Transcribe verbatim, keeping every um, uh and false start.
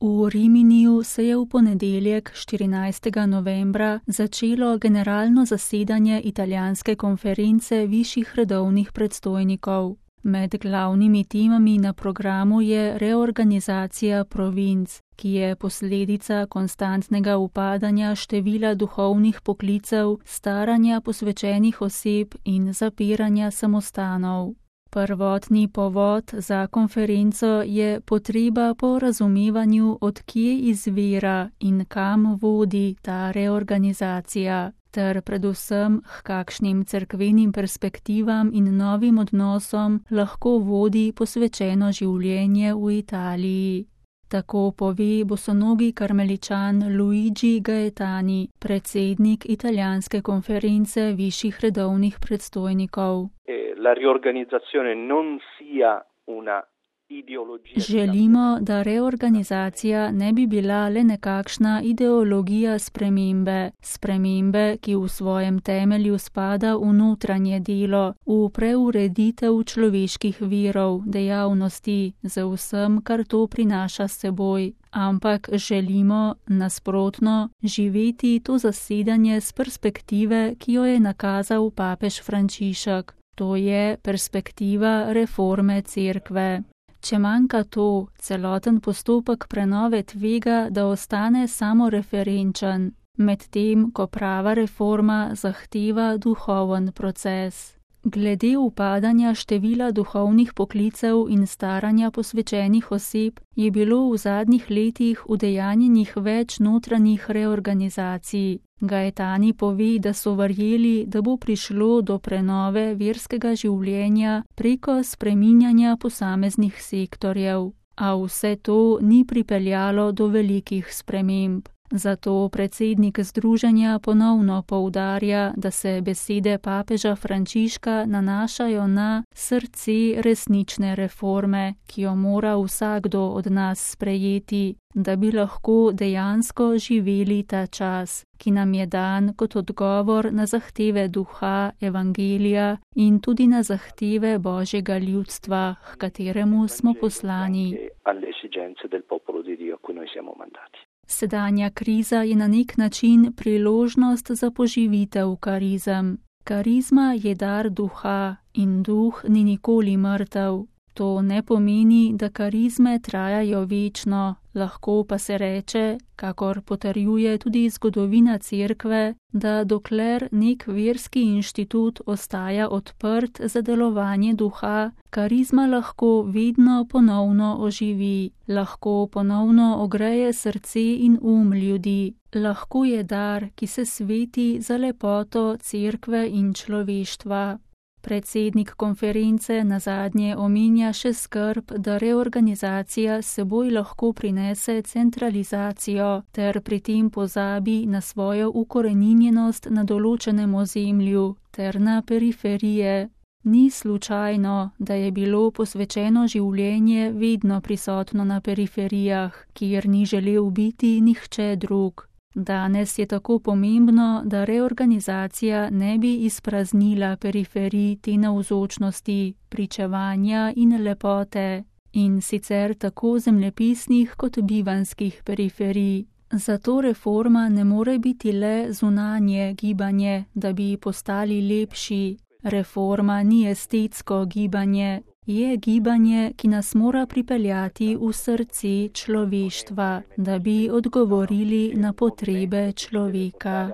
V Riminiju se je v ponedeljek, štirinajstega novembra, začelo generalno zasedanje italijanske konference višjih redovnih predstojnikov. Med glavnimi temami na programu je reorganizacija provinc, ki je posledica konstantnega upadanja števila duhovnih poklicev, staranja posvečenih oseb in zapiranja samostanov. Prvotni povod za konferenco je potreba po razumevanju, od kje izvira in kam vodi ta reorganizacija, ter predvsem h kakšnim cerkvenim perspektivam in novim odnosom lahko vodi posvečeno življenje v Italiji. Tako pove bosonogi karmeličan Luigi Gaetani, predsednik italijanske konference višjih redovnih predstojnikov. La riorganizzazione non sia una ideologija. Želimo, da reorganizacija ne bi bila le nekakšna ideologija spremembe, spremembe, ki v svojem temelju spada v notranje delo, v preureditev človeških virov, dejavnosti, z vsem, kar to prinaša s seboj. Ampak želimo, nasprotno, živeti to zasedanje s perspektive, ki jo je nakazal papež Frančišek. To je perspektiva reforme cerkve. Če manjka to, celoten postopek prenove tvega, da ostane samoreferenčen, medtem ko prava reforma zahteva duhoven proces. Glede upadanja števila duhovnih poklicev in staranja posvečenih oseb je bilo v zadnjih letih udejanjenih več notranjih reorganizacij. Gaetani pove, da so verjeli, da bo prišlo do prenove verskega življenja preko spreminjanja posameznih sektorjev, a vse to ni pripeljalo do velikih sprememb. Zato predsednik združenja ponovno poudarja, da se besede papeža Frančiška nanašajo na srce resnične reforme, ki jo mora vsakdo od nas sprejeti, da bi lahko dejansko živeli ta čas, ki nam je dan kot odgovor na zahteve duha, evangelija in tudi na zahteve Božjega ljudstva, h kateremu smo poslani. Sedanja kriza je na nek način priložnost za poživitev karizem. Karizma je dar duha in duh ni nikoli mrtev. To ne pomeni, da karizme trajajo večno, lahko pa se reče, kakor potrjuje tudi zgodovina cerkve, da dokler nek verski inštitut ostaja odprt za delovanje duha, karizma lahko vedno ponovno oživi, lahko ponovno ogreje srce in um ljudi, lahko je dar, ki se sveti za lepoto cerkve in človeštva. Predsednik konference nazadnje omenja še skrb, da reorganizacija seboj lahko prinese centralizacijo ter pri tem pozabi na svojo ukoreninjenost na določenem ozemlju ter na periferije. Ni slučajno, da je bilo posvečeno življenje vedno prisotno na periferijah, kjer ni želel biti nihče drug. Danes je tako pomembno, da reorganizacija ne bi izpraznila periferij te navzočnosti, pričevanja in lepote, in sicer tako zemljepisnih kot bivanskih periferij. Zato reforma ne more biti le zunanje gibanje, da bi postali lepši. Reforma ni estetsko gibanje, je gibanje, ki nas mora pripeljati v srce človeštva, da bi odgovorili na potrebe človeka.